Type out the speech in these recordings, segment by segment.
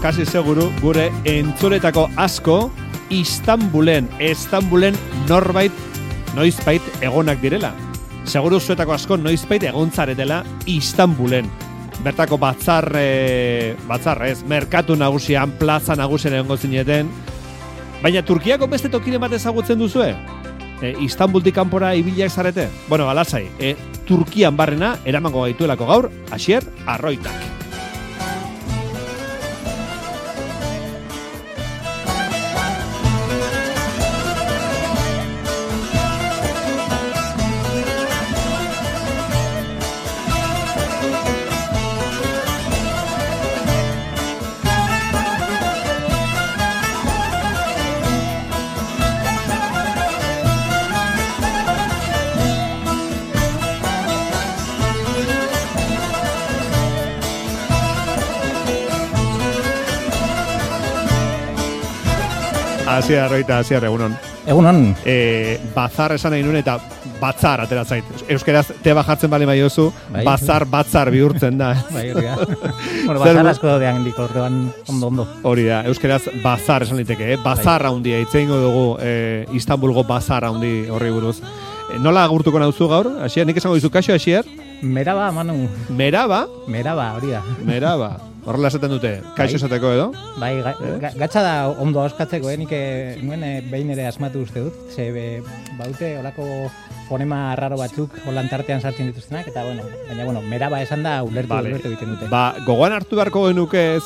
kasi seguru, gure entzuletako asko Istanbulen noizbait egonak direla. Seguru zuetako asko noizbait egontzaretela Istanbulen. Bertako merkatu nagusian, plaza nagusian egongo zineten. Baina Turkiako beste tokiren bat ezagutzen duzue? Istanbultik kanpora ibiliak zarete? Bueno, alasai, Turkian barrena eramango gaituelako gaur, Asier Arroitak. Asier Arroita, Asier, egunon. Egunon. Bazar esan nahi nuen eta batzar atera zait. Euskeraz teba jartzen bali maiozu, batzar bihurtzen da. Bai, hori da. Bueno, bazar asko daudean dik orduan ondo. Hori da, euskeraz bazar esan liteke, Bazar handia, itzeingo dugu Istanbulgo bazar handi horri buruz. Nola agurtuko nauzu gaur? Asier, nik esango dizu, kaixo, Asier? Meraba, Manu. Meraba? Meraba, hori da. Meraba. Horrela esaten dute, kaixo esateko edo? Bai, gatsa da ondo auskatzeko, nik nuen behin ere asmatu uste dut, baute olako fonema raro batzuk holan tartean sartzen dituztenak, eta baina meraba esan da ulertu egiten dute. Gogoan hartu beharko genuke,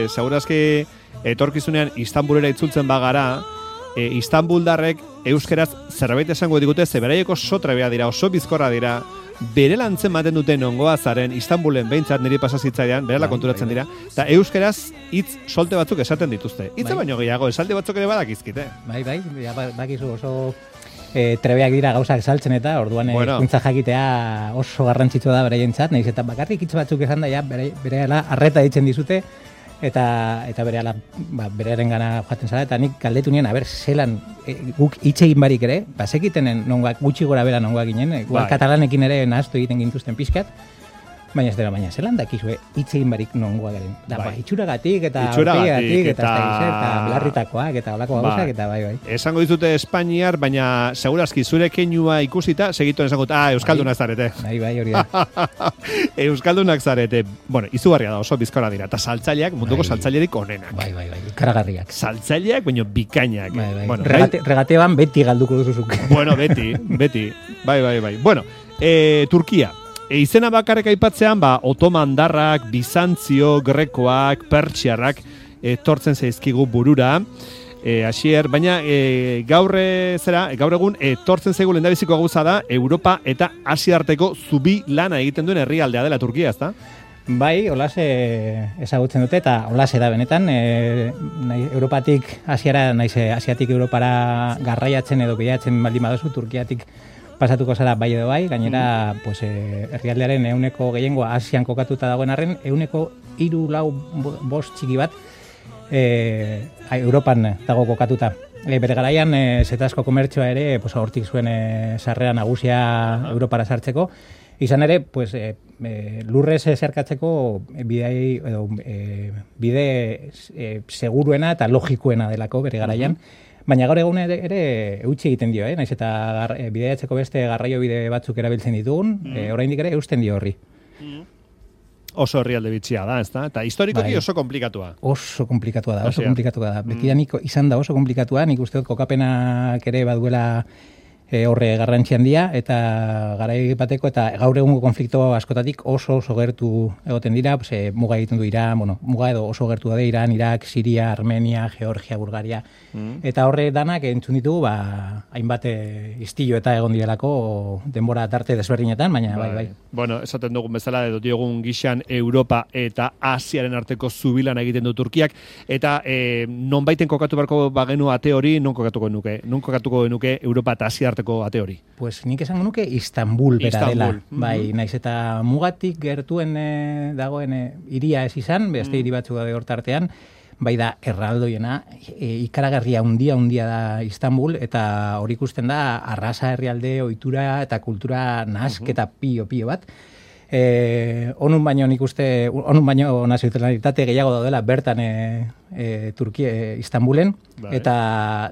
segurazki etorkizunean Istanbulera itzultzen bagara, Istanbuldarrek euskeraz zerbait esango digute, zeberaieko sotrebea dira, oso bizkorra dira, bere lantzen maten duten ongoa zaren Istanbulen behintzat niri pasazitzailean, berela konturatzen dira, eta euskeraz hitz solte batzuk esaten dituzte. Hitza baino gehiago, esaldi batzuk ere badakizkite. Bakizu oso trebeak dira gauzak saltzen eta orduan kuntza jakitea oso garrantzitsua da beraientzat, nahiz eta bakarrik hitz batzuk esan da berehala arreta ditzen dizute, eta berearen gana joaten zara, eta nik galdetu nien, zelan guk hitz egin barik ere, sekitenen gutxi gora bera nongoak ginen, katalanekin ere nahaztu egiten gintuzten pixkat, baina zelan dakizue hitz egin barik nongoa garen. Itxuragatik eta orpiagatik eta belarritakoak eta olako gauzak eta bai. Esango dizute Espainiar, baina segurazki zure keinua ikusita, segituen esango, euskaldunak zarete. Bai, hori da. Euskaldunak zarete. Bueno, izugarria da, oso bizkora dira. Eta saltzaileak, munduko saltzailerik onenak. Bai, ikaragarriak. Saltzaileak, baina bikainak. Regateban beti galduko duzuzuk. Bueno, beti. Bai. Bueno, Turkia. Izena bakarrik aipatzean, otomandarrak, bizantzio, grekoak, pertsiarrak etortzen zaizkigu burura. Asier, baina gaur egun etortzen zaigu lehendabiziko gauza da Europa eta Asia arteko zubi lana egiten duen herrialdea dela Turkia, ezta? Bai, holas ezagutzen dute eta holas da benetan. Europatik Asiara, Asiatik Europara garraiatzen edo bilatzen baldin baduzu Turkiatik pasatuko zara bai edo bai, gainera herrialdearen 100% gehiengoa Asian kokatuta dagoen arren, 3-4-5 txiki bat Europan dago kokatuta. Bere garaian zetazko komertzioa ere hortik zuen sarrera nagusia Europara sartzeko, izan ere lurrez zerkatzeko bide seguruena eta logikoena delako bere garaian. Baina gaur egun ere eutsi egiten dio, naiz eta bidaiatzeko beste garraio bide batzuk erabiltzen ditugun, oraindik ere eusten dio horri. Oso herrialde bitxia da, ezta? Eta historikoki oso komplikatua. Oso komplikatua da. Betidanik izan da oso komplikatua, nik uste dut kokapenak ere baduela horre garrantzi handia, eta garai bateko eta gaur egungo konflikto askotatik oso gertu egoten dira, muga egiten du Iran, muga edo oso gertu da Iran, Irak, Siria, Armenia, Georgia, Bulgaria, eta horre danak entzun ditugu, hainbat istilo eta egon direlako denbora tarte desberdinetan, baina bai. Bueno, esaten dugun bezala, edo diogun gixan Europa eta Asiaren arteko zubilan egiten du Turkiak, eta nonbaiten kokatu barko bagenu ate hori, non kokatuko genuke Europa eta Asia arteko ate hori? Pues nik esango nuke Istanbul bera dela. Bai, naiz eta mugatik gertuen dagoen hiria ez izan, beste hiri batzuk daude hor tartean, bai da erraldoiena, ikaragarria handia da Istanbul, eta hori ikusten da arrasa herrialde, ohitura eta kultura nahasketa pio bat. Onun baino nik uste, onun baino nazionalitate gehiago daudela bertan Turkia, Istanbulen, eta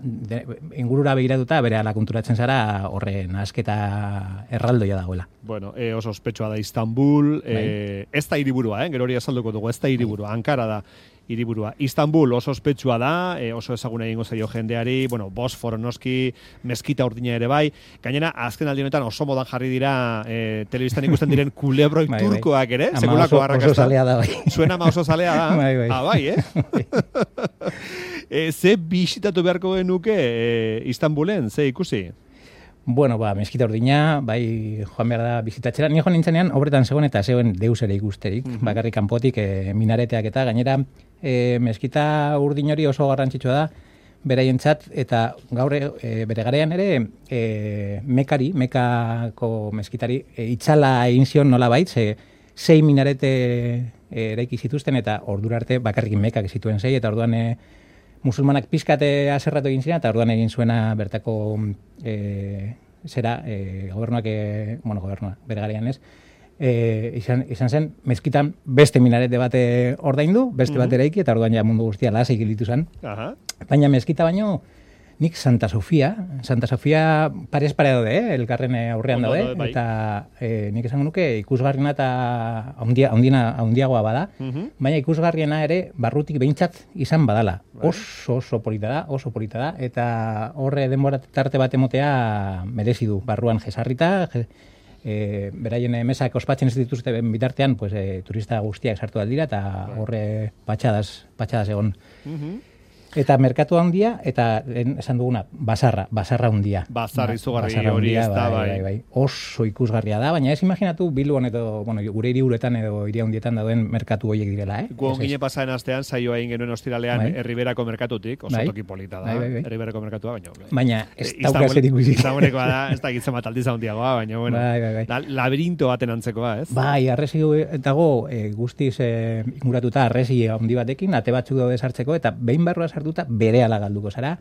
ingurura begiratuta bere ala konturatzen zara horren asketa erraldoia dagoela. Bueno, oso ospetsua da Istanbul, ez da hiriburua, gero hori azalduko dugu, ez da hiriburua, Ankara da hiriburua. Istanbul oso ospetsua da, oso ezaguna egingo zaio jendeari, bueno, Bosforo noski, meskita urdina ere bai, gainera azken aldi honetan oso modan jarri dira telebistan ikusten diren kulebroi turkoak ere, sekulako arrakasta. Oso zalea da bai. Zuen ama oso zalea da. Bai, ze bisitatu beharko genuke Istanbulen, ze ikusi? Bueno, meskita urdina, bai, joan behar da bizitatxera. Ni joan nintzenean, obretan zegoen eta zegoen deus ere ikusterik, bakarrik kanpotik minareteak eta gainera meskita urdin hori oso garrantzitsua da, beraientzat, eta gaur bere garean ere Mekako meskitari itxala egin zion nola bait, 6 minarete eraiki zituzten eta ordura arte bakarrik Mekak zituen 6, eta orduan musulmanak pizkate aserratu egin ziren, eta orduan egin zuena bertako gobernuak, gobernua, bere garean ez, izan zen, mezkitan beste minarete bate ordaindu, beste bat eraiki, eta orduan ja mundu guztia lasai gelitu zen. Baina mezkita baino, nik Santa Sofia parez pare daude, elkarren aurrean daude, eta nik esango nuke ikusgarriena eta handiagoa bada, baina ikusgarriena ere barrutik behintzat izan badala. Oso polita da, eta horre denbora tarte bat emotea merezi du, barruan jesarrita, beraien mesak ospatzen ez dituzte bitartean, turista guztiak sartu aldira, eta horre patxadas egon. Eta merkatu handia, eta esan duguna, basarra handia. Bazar izugarri hori ez da, bai. Oso ikusgarria da, baina ez imaginatu Bilbon edo, gure hiriburuetan edo hiri handietan dauden merkatu horiek direla, Gu ongine pasaren astean, saioa egin genuen ostiralean Erriberako merkatutik, oso toki polita da, Erriberako merkatua, baina ez dauka zer ikusi. Istanbuleko da, ez da gitzen bat aldiz handiagoa, baina, bueno, labirinto baten antzekoa, ez? Bai, arresi dago guztiz inguratuta arresi handi batekin, ate batzuk daude sartzeko, eta behin barrua sartuta berehala galduko zara.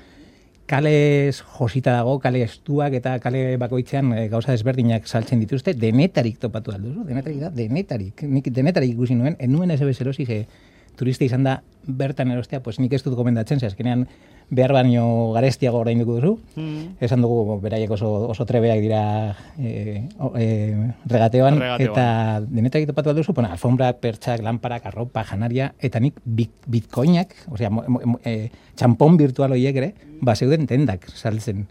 Kale josita dago, kale estuak eta kale bakoitzean gauza desberdinak saltzen dituzte, denetarik topatu alduzu, denetarik. Nik denetarik ikusi nuen, enuen ez erosi, turista izan da bertan erostea, pues nik ez dut gomendatzen, azkenean behar baino garestiago orainduko duzu. Esan dugu, beraiek oso trebeak dira regateoan, eta denetarik topatu alduzu, alfombrak, pertsak, lamparak, arropa, janaria, eta nik bitcoinak, txampon virtual horiek ere, zeuden tendak saltzen,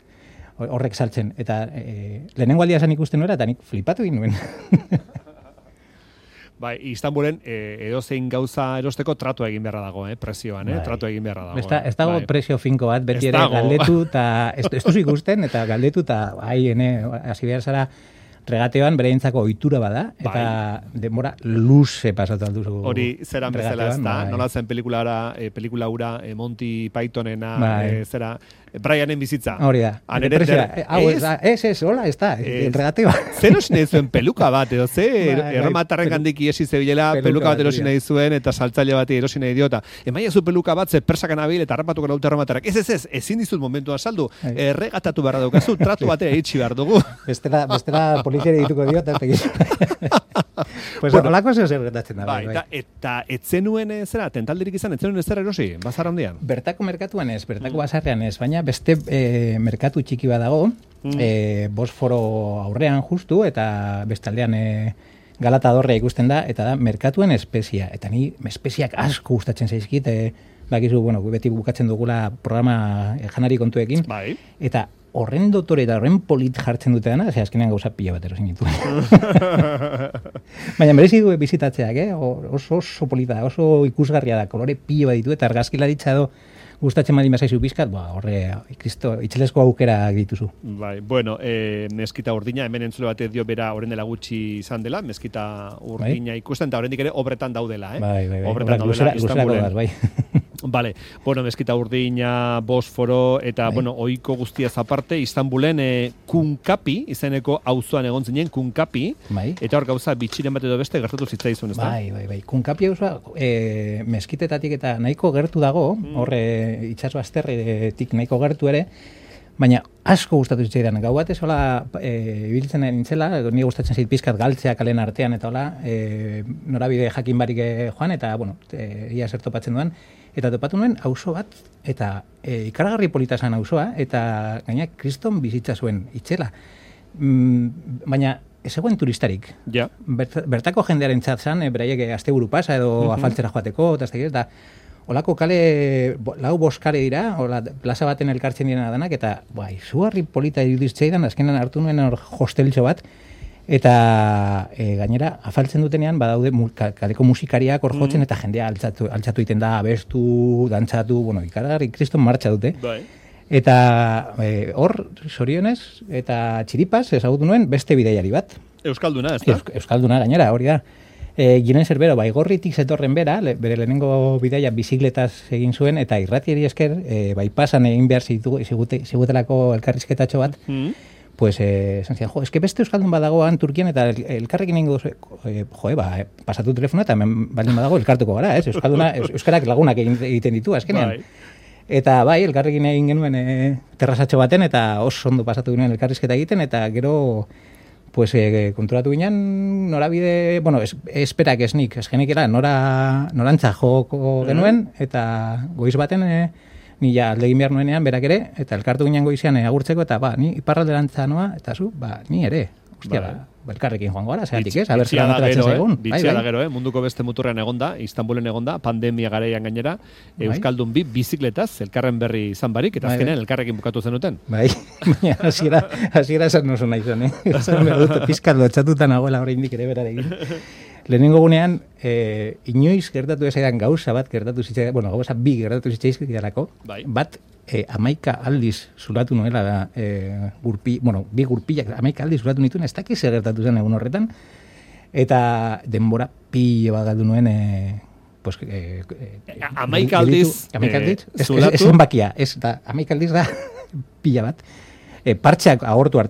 horrek saltzen, eta lehenengo aldia esan ikusten nuera, eta nik flipatu egin nuen. Bai, Istanbulen edozein gauza erosteko tratu egin beharra dago, prezioan, tratu egin beharra dago. Ez dago prezio finko bat, beti ere galdetu, eta ez duzu ikusten, eta galdetu, eta hasi behar zara regateoan bereintzako ohitura bada, eta denbora luze pasatu alduzu. Hori zeran bezala ez da, nola zen pelikula ura Monty Pythonena, zera, Brianen bizitza. Hori da. Hola, ez da, regateoa. Zer osin nahi zuen peluka bat, edo erromatarren gandik iesi zebilela, peluka bat erosin nahi zuen, eta saltzaile bat erosin nahi diota. Emaia zu peluka bat, ze persakan abil, eta harrapatuko naute erromatarrak. Ez, ezin dizut momentua saldu, erregatatu beharra daukazu, tratu batera itxi behar dugu. Bestela poliziari dituko diot, pues holako zer gertatzen da. Eta etzenuen zera, tentaldirik izan, etzenuen ez erosi, bazar handian? Bertako merkatuan ez, bertako bazarrean ez, baina beste merkatu txiki bat dago, Bosforo aurrean justu, eta bestaldean Galata dorrea ikusten da, eta da merkatuen espezia. Eta ni espeziak asko gustatzen zaizkit, bakizu, beti bukatzen dugula programa janari kontuekin, eta horren dotore eta horren polit jartzen dute dena, azkenean gauza pila bat erosin ditu. Baina merezi du bizitatzeak, oso polita, oso ikusgarria da, kolore pila bat ditu, eta argazkilaritza edo gustatzen baldin bazaizu pizkat, horre, itxelesko aukera dituzu. Bai, bueno, meskita urdina, hemen entzule batek dio bera horren dela gutxi izan dela, meskita urdina ikusten, eta horrendik ere obretan daudela, Bai. Obretan daudela, Istanbulen. Bai. Vale, bueno, meskita urdina, Bosforo, eta, ohiko guztiaz aparte, Istanbulen Kunkapi, izeneko auzoan egon zinen, Kunkapi, eta hor gauza bitxiren bat edo beste gertatu zitzaizun, ez da? Bai. Kunkapi auzoa meskitetatik eta nahiko gertu dago, horre itxaso azterretik nahiko gertu ere, Baina asko gustatu zitzaidan. Gau batez hola ibiltzen nintzela, ni gustatzen zait pizkat galtzea kalen artean eta hola, norabide jakin barik joan eta bueno, ia zer topatzen duan eta topatu nuen auzo bat eta ikaragarri polita zen auzoa eta gaina kriston bizitza zuen itzela. Baina ez zegoen turistarik. Ja. Bertako jendearen txatzan, beraiek asteburu pasa edo afaltzera joateko, eta olako kale, lau boskare dira, ola, plaza baten elkartzen direna danak, eta izugarri polita iruditzaidan, azkenan hartu nuen hor hosteltxo bat, eta gainera, afaltzen dutenean, badaude kaleko musikariak hor jotzen, eta jendea altzatu egiten da, abestu, dantzatu, bueno, ikaragarri kriston martxa dute. Bai. Eta hor, sorionez, eta txiripaz, ezagutu nuen, beste bidaiari bat. Euskalduna, ez da? Euskalduna, gainera, hori da. Ginen zerbero, Baigorritik zetorren bera, bere lehenengo bidaia bizikletaz egin zuen, eta irratiari esker, pasan egin behar zigutelako elkarrizketatxo bat, pues, esan zidan, eske beste Euskaldun badagoan Turkian, eta elkarrekin ingo pasatu telefona, eta baldin badago elkartuko gara, ez? Euskarak lagunak egiten ditu, azkenean. Eta elkarrekin egin genuen terrazatxo baten, eta oso ondo pasatu genuen elkarrizketa egiten, eta gero pues konturatu ginen norabide, bueno, esperak esnik, esgenekera norantza joko genuen, eta goiz baten ni ja aldegin behar nuenean berak ere, eta elkartu ginen goizean agurtzeko, eta ni iparralderantza noa, eta zu, ni ere, hostia, elkarrekin joango gara, zeatik ez, haber zelan ateratzen zaigun. Bitxia da gero, munduko beste muturrean egonda, Istanbulen egonda, pandemia garaian gainera, Euskaldun bi bizikletaz, elkarren berri izan barik, eta azkenean elkarrekin bukatu zenuten. Bai, baina hasiera esan oso nahi zen, esan behar dut, pizkat lotxatutan nagoela oraindik ere berarekin. Lehenengo gunean, inoiz gertatu ezaidan gauza bat gertatu zitzaidan, bueno, gauza bi gertatu zitzaizkidarako, bat, 11 aldiz zulatu nuela bi gurpilak 11 aldiz zulatu nituen, ez dakiz gertatu zen egun horretan, eta denbora pilo bat galdu nuen 11 aldiz zulatu? Ez bakia, ez da, 11 aldiz da pila bat. Partxeak agortu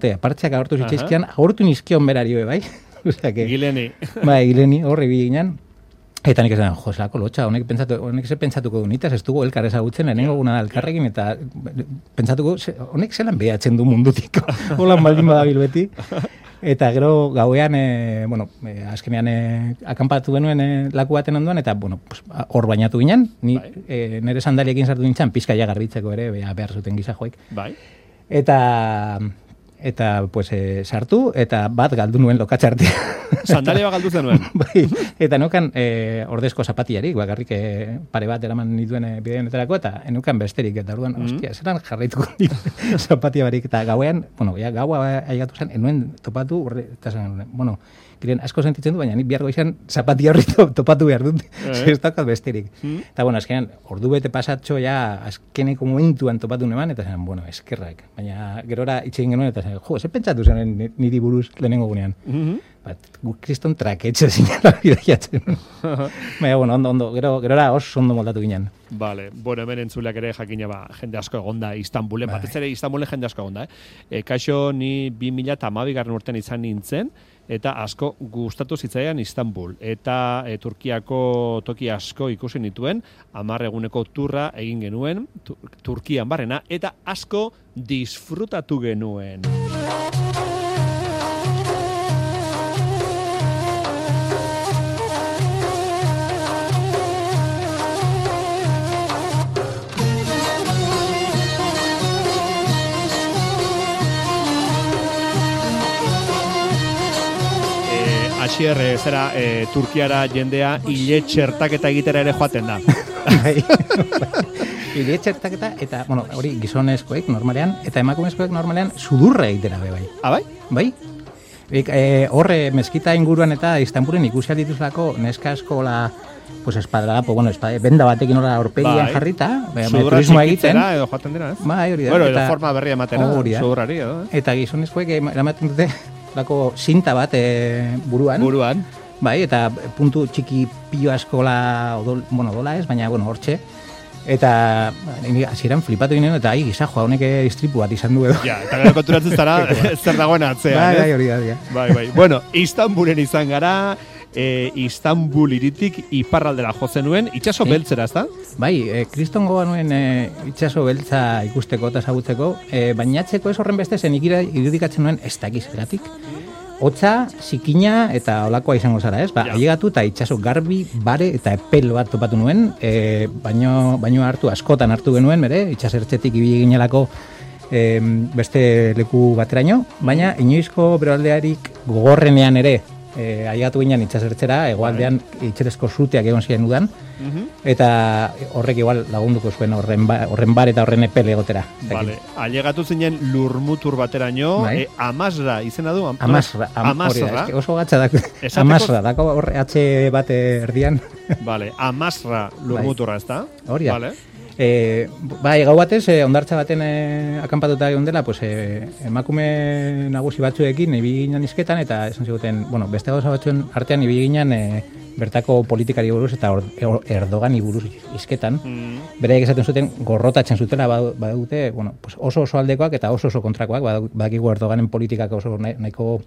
zitzaizkian, agortu nizkion berario, bai? Gileni. Gileni, horri bi ginen. Eta nik esan, zelako lotxa, honek pentsatuko du nitaz, ez dugu elkar ezagutzen, lehenengo guna elkarrekin, eta pentsatuko, honek zelan behatzen du mundutik, holan baldin badabil beti. Eta gero gauean, azkenean akampatu genuen laku baten ondoan, eta hor bainatu ginen, nire sandaliekin sartu nintzen, pizkaia garbitzeko ere, behar zuten gizajoek. Eta sartu, eta bat galdu nuen lokatxartea. Sandalia galdu zenuen. Eta nukan ordezko zapatiarik, bakarrik pare bat eraman nituen bideonetarako, eta enukan besterik, eta orduan, ostia, zelan jarraituko zapatia barik, eta gauean, gaua aigatu zen, enuen topatu, eta zen, giren asko sentitzen du, baina nik bihargo izan zapatia horri topatu behar dut, ez dakat besterik. Eta, azkenean, ordu bete pasatxo, azkeneko momentuan topatu neman, eta zen, eskerrak. Baina, gerora itxegin genuen, eta zen, ze pentsatu zen niri buruz lehenengo gunean. Kriston traketxe zinela bidaiatzen. Baina, ondo, gerora oso ondo moldatu ginen. Vale, hemen entzuleak ere jakina jende asko egonda Istanbulen, batez ere Istanbulen jende asko egonda. Kaixo, ni 2012 urtean izan nintzen, eta asko gustatu zitzaidan Istanbul. Eta Turkiako toki asko ikusi nituen, 10 eguneko turra egin genuen, Turkian barrena, eta asko disfrutatu genuen. Asier, Turkiara jendea hile txertaketa egitera ere joaten da. Hile txertaketa, eta, hori gizonezkoek normalean, eta emakumezkoek normalean sudurra egitera bai. Bai? Bai. Horre, mezkita inguruan eta Istanbulen ikusi dituzlako neska askola, espadra, benda batekin horra aurpegian jarrita, turismoa egiten. Sudurra edo joaten dira, ez? Bai, hori da. Bueno, edo forma berria ematera, sudurrari, edo. Eta gizonezkoek eramaten dute lako zinta bat buruan. Bai, eta puntu txiki pilo askola, dola ez, baina, hortxe. Eta hasieran flipatu ginen, eta gizajoa honek istripu bat izan du edo. Ja, eta gero konturatzen zara zer dagoen atzean, Bai, hori da. Bai. Bueno, Istanbulen izan gara, Istanbul iritik iparraldera jotzen nuen, itxaso beltzera, ez da? Bai, kristongoa nuen itxaso beltza ikusteko eta ezagutzeko, bainatzeko ez horren beste zen irudikatzen nuen ez dakiz eratik. Hotza, zikina eta olakoa izango zara, ez? Ailegatu eta itxaso garbi, bare eta epel bat topatu nuen, baino hartu, askotan hartu genuen, itxasertzetik ibili ginelako beste leku bateraino, baina inoizko beroaldearik gogorrenean ere, ailegatu ginen itxasertzera, hegoaldean itxerezko zuteak egon ziren udan, eta horrek igual lagunduko zuen horren bar eta horren epel egotera. Vale. Ailegatu zinen lurmutur bateraino, Amasra izena du? Amasra. Oso gatza dako. Amasra, dako horre atxe bate erdian. Vale, Amasra lurmuturra, ez da? Hori da. Bai, gau batez, ondartza baten akanpatuta egon dela, pues, emakume nagusi batzuekin ibili ginen izketan, eta esan ziguten, bueno, beste gauza batzuen artean ibili ginen bertako politikari buruz eta Erdogani buruz izketan. Beraiek esaten zuten gorrotatzen zutela badute, bueno, pues oso aldekoak eta oso kontrakoak, badakigu Erdoganen politikak oso nahiko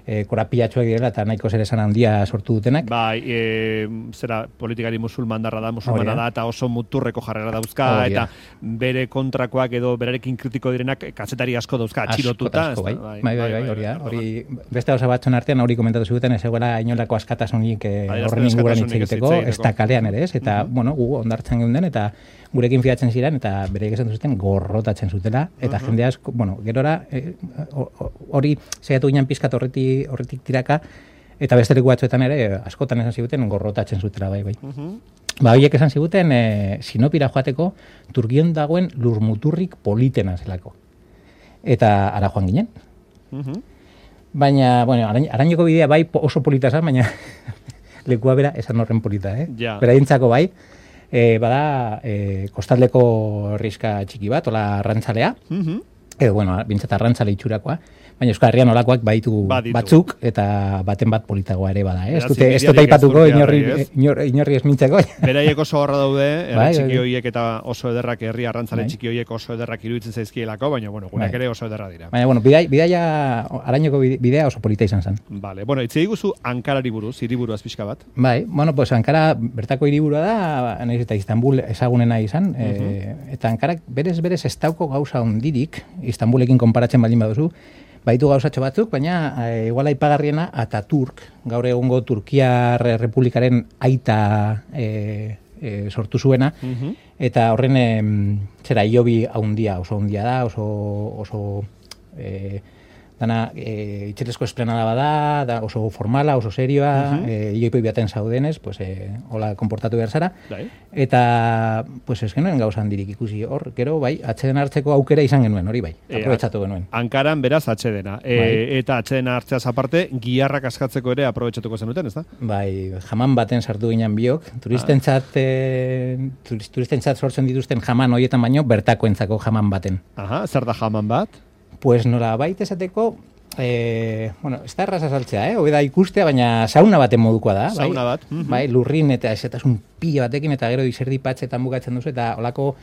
korapilatxoak direla eta nahiko zer esan handia sortu dutenak. Bai, zera politikari musulmana da eta oso muturreko jarrera dauzka, eta bere kontrakoak edo berarekin kritiko direnak kazetari asko dauzka, atxilotuta. Bai, hori da. Hori beste gauza batzuen artean hori komentatu zuten, ez egoela inolako askatasunik horren inguruan hitz egiteko, ez da kalean ere ez, eta, bueno, gu ondartzen geunden, eta gurekin fiatzen ziren, eta bereik esan zuten gorrotatzen zutela, eta jende asko, bueno, gerora, hori zeiatu ginen pizkat horretik tiraka, eta beste leku batzuetan ere, askotan esan ziguten gorrotatzen zutela, bai. Horiek esan ziguten, Sinopira joateko, Turkion dagoen lurmuturrik politena zelako. Eta ara joan ginen. Baina, bueno, arañoko bidea bai oso polita zan, baina lekua bera esan horren polita, Beraientzako bai, bada kostaldeko herrixka txiki bat, ola arrantzalea, edo, bueno, bintzat arrantzale itxurakoa, baina Euskal Herrian olakoak baitu batzuk, eta baten bat politagoa ere bada, ez dut aipatuko inorri ez mintzako. Beraiek oso horra daude, herri txiki horiek eta oso ederrak, herri arrantzale txiki horiek oso ederrak iruditzen zaizkielako, baina, bueno, gureak ere oso ederra dira. Baina, bueno, bidaia, arañoko bidea oso polita izan zen. Vale, bueno, itzei guzu Ankarari buruz, hiriburuaz pixka bat. Bai, bueno, pues Ankara bertako hiriburua da, nahiz eta Istanbul ezagunena izan, eta Ankarak berez ez dauko gauza hondirik, Istanbulekin konparatzen baldin baduzu, baitu gauzatxo batzuk, baina igual aipagarriena Ataturk, gaur egungo Turkiar Republikaren aita sortu zuena, eta horren zera iobi haundia, oso haundia da, oso dana itxerezko esplanada bada, da oso formala, oso serioa, ioipoi baten zaudenez, pues, hola konportatu behar zara, eta pues ez genuen gauzan dirik ikusi hor, gero bai, atxeden hartzeko aukera izan genuen, hori bai, aprobetsatu genuen. Ankaran beraz atxedena, eta atxedena hartzeaz aparte, giharrak askatzeko ere aprobetsatuko zenuten, ez da? Bai, jaman baten sartu ginen biok, turistentzat sortzen dituzten jaman horietan baino, bertakoentzako jaman baten. Aha, zer da jaman bat? Pues nola baita esateko, bueno, ez da erraza saltzea, hobe da ikustea, baina sauna baten modukoa da. Sauna bat. Bai, lurrin eta esetasun pila batekin, eta gero izerdi patxetan bukatzen duzu, eta holako,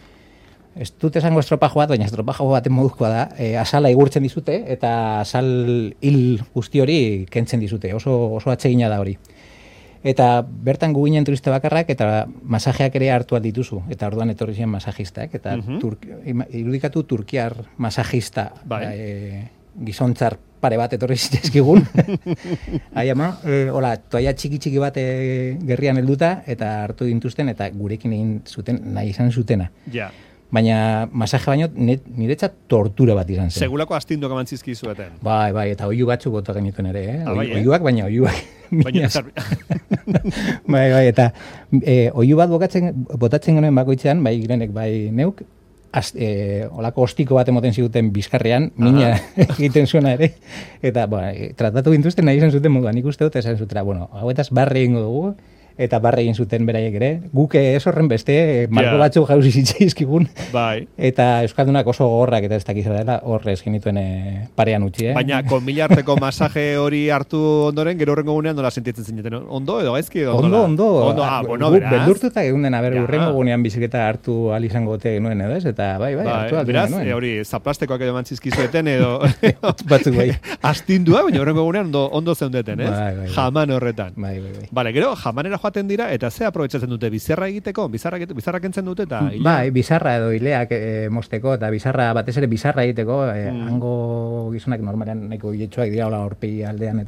ez dut esango estropajo bat, baina estropajo baten modukoa da, asala igurtzen dizute, eta asal hil guzti hori kentzen dizute, oso atsegina da hori. Eta bertan gu ginen turista bakarrak, eta masajeak ere hartu dituzu, eta orduan etorri ziren masajistak, eta irudikatu turkiar masajista gizontzar pare bat etorri zitezkigun. Hai ama, hola, toaia txiki bat gerrian helduta, eta hartu dintuzten, eta gurekin egin zuten, nahi izan zutena. Ja. Baina masaje baino niretzat tortura bat izan zen. Segulako astindoak amantzizki zueten. Bai, eta oiu batzuk bota genituen ere, oiuak, baina oiuak. Baina bai, eta oiu bat botatzen genuen bakoitzean, bai girenek, bai neuk, olako ostiko bat emoten ziguten bizkarrean, mina egiten zuena ere, eta tratatu gintuzten nahi izan zuten moduan, nik uste dut esan zutera, bueno, hauetaz barre ingo dugu, eta barre egin zuten beraiek ere. Guk ez horren beste, marko batzuk jauzi zitzaizkigun. Bai. Eta euskaldunak oso gogorrak eta ez dakiz dela horrez genituen parean utzi. Baina, konmilarteko masaje hori hartu ondoren, gero horrengo gunean nola sentitzen zineten? Ondo edo gaizki? Ondo. Bueno, beraz. Beldurtuta egun den, urrengo gunean biziketa hartu alizango gote genuen edo ez? Eta bai, hartu beraz, hori, zaplastekoak edo mantzizkizueten edo... Batzuk bai. Astindua, baina horrengo gunean ondo zeundeten, ez? Bai. Jaman horretan. Bai. Bale, gero, jamanera joaten dira, eta ze aprobetsatzen dute, bizarra egiteko? Bizarra kentzen dute, eta... Bai, bizarra edo ileak mosteko, eta bizarra, batez ere bizarra egiteko, hango gizonak normalean nahiko hiletxoak dira, hola horpi aldean,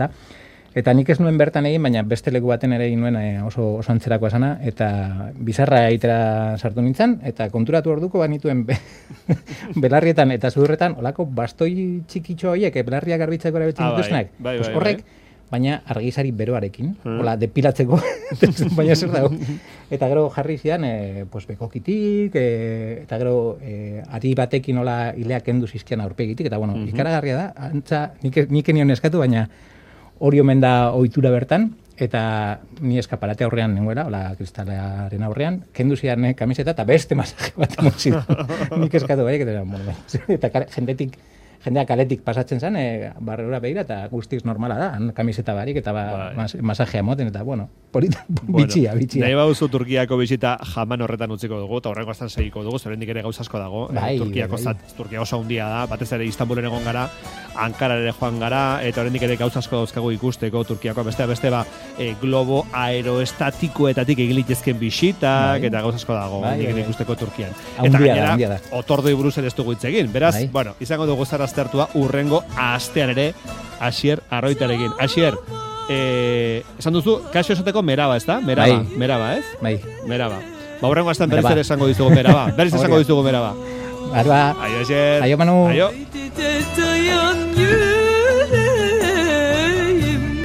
eta nik ez nuen bertan egin, baina beste leku baten ere egin nuen oso antzerako esana, eta bizarra egitera sartu nintzen, eta konturatu orduko banituen belarrietan eta zudurretan, olako bastoi txikitxo horiek, belarriak garbitzeko erabiltzen dituznak, horrek, baina argizari beroarekin, hola, depilatzeko, baina zer dago. Eta gero jarri zidan, bekokitik, eta gero ari batekin hola hileak kendu zizkian aurpegitik, eta bueno, ikaragarria da, antza, nik enion eskatu, baina hori omen da ohitura bertan, eta ni eskaparate aurrean nengoela, hola, kristalaren aurrean, kendu zidan kamiseta, eta beste masaje bat emozio. Nik eskatu bai, eta jendea kaletik pasatzen zen, barrera behira, eta guztiz normala da, kamiseta barik, eta masajea moten, eta bueno, bitxia. Nahi bauzu Turkiako bisita jaman horretan utziko dugu, eta horrengo astan segiko dugu, zorendik ere gauzasko dago, Turkia oso handia da, batez ere Istanbulen egon gara, Ankara ere joan gara, eta horrendik ere gauzasko dauzkagu ikusteko, Turkiako beste globo aeroestatikoetatik egilitezken bisitak, eta gauzasko dago, ikusteko Turkian. Eta gainera, otordoi buruz ere ez dugu hitz egin, beraz, bueno, izango dugu zara aztertua urrengo astean ere Asier Arroitarekin. Asier, esan duzu, kasio esateko meraba, ez da? Meraba, ez? Bai. Meraba. Urrengo astean berriz ere esango dizugu meraba. Berriz esango dizugu meraba. Arba. Aio, Asier. Aio, Manu. Aio.